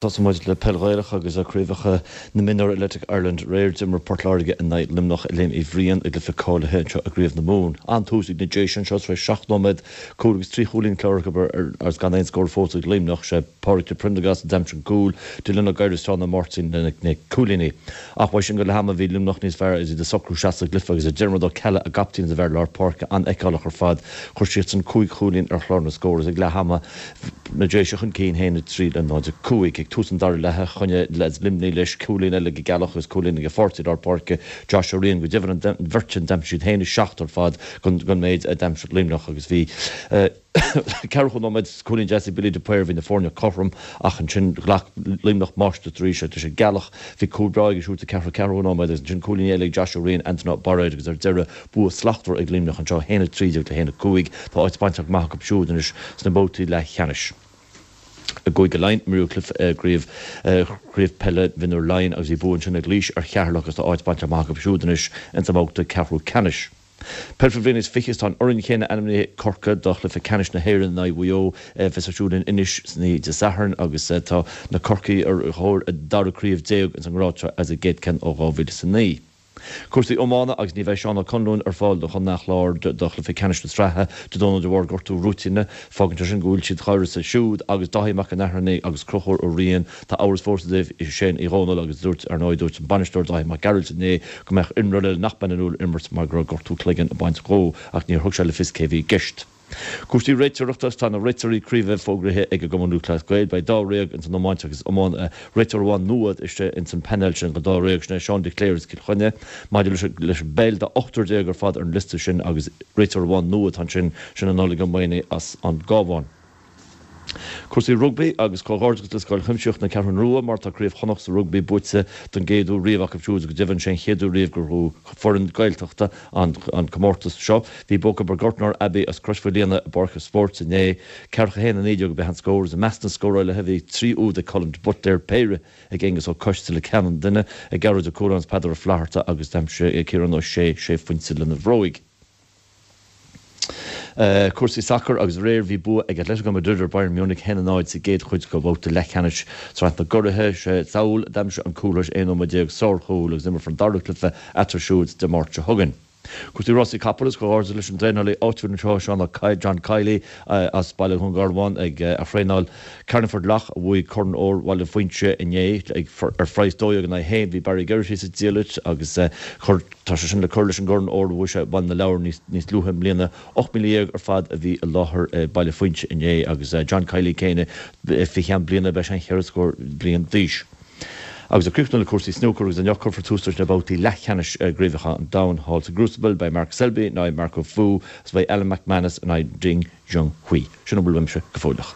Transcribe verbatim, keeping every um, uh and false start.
Tosóidh muid le peil Ghaelach agus craobhacha na Mionúr Athletic Ireland aréir d'imir Port Láirge in aghaidh Luimneach i Léim Uí Bhriain i gcluiche cáilithe anseo i gCraobh na Mumhan. An-tús ag na Déise anseo tar éis seacht nóiméad cúl agus trí chúilín cláraithe acu agus gan aon scór fós ag Luimneach. Sé Pádraig de Prendergast a d'aimsigh an cúl, Dylan Ó Gadhra is Seán Ó Máirtín na cúilíní. Ach uaidh sin go leath ama bhí Luimneach níos fearr agus iad ag socrú isteach sa gcluiche agus Diarmuid Ó Ceallaigh a gcaptaen is a bhfear lár páirce an-fheiceálach ar fad. Chuir siadsan cúig chúilín ar chlár na scór agus ag leath ama na Déise chun cinn haon a trí le náid a cúig. Ag tús an dara leatha choinnigh leaids Luimnigh leis, cúilín eile ag Ceallach agus cúilín ag a pháirtí lár páirce Josh Ó Riain. Go deimhin an bheirt sin d'aimsigh siad haon a seacht ar fad den méid a d'aimsigh Luimneach agus bhí ceathracha nóiméad cúilín deas ag Billy de Paor bhí na foirne cothrom ach ansin ghlac Luimneach máistreacht arís agus i gCeallach bhí cúl breá aige siúd sa ceathracha ceathrú nóiméad agus ansin cúilín eile ag Josh Ó Riain, Anthony Bairéad agus ar deireadh bua slachtmhar ag Luimneach anseo haon a trí déag le haon a cúig. Tá áit bainte amach acu siúd anois sna babhtaí leathcheannais. I gCúige Laighean, imríodh cluiche i gcraobh chraobh peile mhionúr Laighean agus bhí bua ansin ag Laois ar Cheatharlach agus tá áit bainte amach acu siúd anois ins an mbabhta ceathrú ceannais. Peil faoi bhliain is fiche is tá an fhoireann chéanna ainmnithe ag Corcaigh do chluiche ceannais na hÉireann in aghaidh Mhaigh Eo a bheas ar siúl in Inis san oíche Dé Sathairn agus tá na Corcaígh ar thóir a dara craobh déag ins an ngrád seo as a gcéad ceann ó dhá mhíle is a naoi. Cúrsaí iomána agus ní bheidh Seán Ó Conluain ar fáil do Chontae an Chláir do chluiche ceannais na sraithe Dé Domhnaigh de bharr gortú rúitíne. Fágann sé sin go bhfuil siad d'uireasa siúd agus Dáithí Mac an Airchinnigh agus Conchúr Ó Riain. Tá amhras fós i dtaobh Shane Uí Dhomhnaill agus dúirt, ar ndóigh, dúirt an bainisteoir Dáithí Mac Gearailt inné go mbeadh imreoir eile nach mbeidh in ann imirt mar go raibh gortú cloiginn ag baint dhó ach níor thug sé le fios cé a bhí i gceist. Cúrsaí réiteoireachta Tá na réiteoirí craoibhe fógraithe ag an gCumann Lúthchleas Gael. Beidh dáréag ins an iomáint agus iomáin réiteoir amháin nua istigh ins an painéal sin go dáréag sin é Seán de Cléir as Cill Chainnigh. Maidir leis leis an bpeil tá ochtar déag ar fad ar an liosta sin agus réiteoir amháin nua atá ansin, sin é Nollaig Ó Maonaigh as an gCabhán. Cúrsaí rugbaí agus comhghairdeachas le Scoil Chuimsitheach na Ceathrún Rua mar tá Craobh Chonnacht sa rugbaí buaite don gcéad uair riamh acu siúd go deimhin sé an chéad uair riamh gur bhuaigh foireann Gaeltachta an an comórtas seo. Bhí bua acu ar Gortnor Abbey as Crois Mhaoilíona i bPáirc an Spóirt inné. Ceathracha a haon a naoi déag ab ea an scór agus i measc na scórálaithe bhí trí úd ag Colin de Buitléir, péire ag Aengus Ó Coisteala ceann an duine, ag Gearóid Ó Cualáin is Peadar Ó Flatharta agus d'aimsigh Ciarán Ó Sé sé phointe lena bhróig. Cúrsaí sacair agus aréir bhí bua ag Atletico Madrid ar Bayern Munich haon a náid sa gcéad chuid de bhabhta leathcheannais Sraith na gCuraithe. Sé Saúl a d'aimsigh an cúl tar éis aon nóiméad déag, sárchúl, agus imreofar an dara cluiche eatarthu siúd Dé Máirt seo chugainn. Cúrsaí rásaí capall agus comhghairdeas leis an dtraenálaí áitiúil anseo, Seán Ó John Kiely as Baile Dhún Garbhán ag a thraenáil Carlingford Lough a bhuaigh Corn Óir Bhaile Phuinse inné ar phraghas dó dhéag in aghaidh a haon. Bhí Barry Geraghty sa diallait agus chuir Tá sé sin le cur leis an gCorn Óir a bhuaigh sé i mBaile na Lobhar níos luaithe i mbliana. Ocht míle dhéag ar fad a bhí i láthair i Baile Phuinse inné agus John Kiely céanna fé cheann bliana beidh sé an cheithre scór bliain d'aois. Agus ag críochnú le cúrsaí snúcair agus inniu cuirfear tús leis na babhtaí leathcheannais i gcraobhacha an domhain thall sa gCrucible. Beidh Mark Selby in aghaidh Marco Fu agus beidh Alan McManus in aghaidh Ding Junhui. Sin a bhfuil uaimse go fóilleach.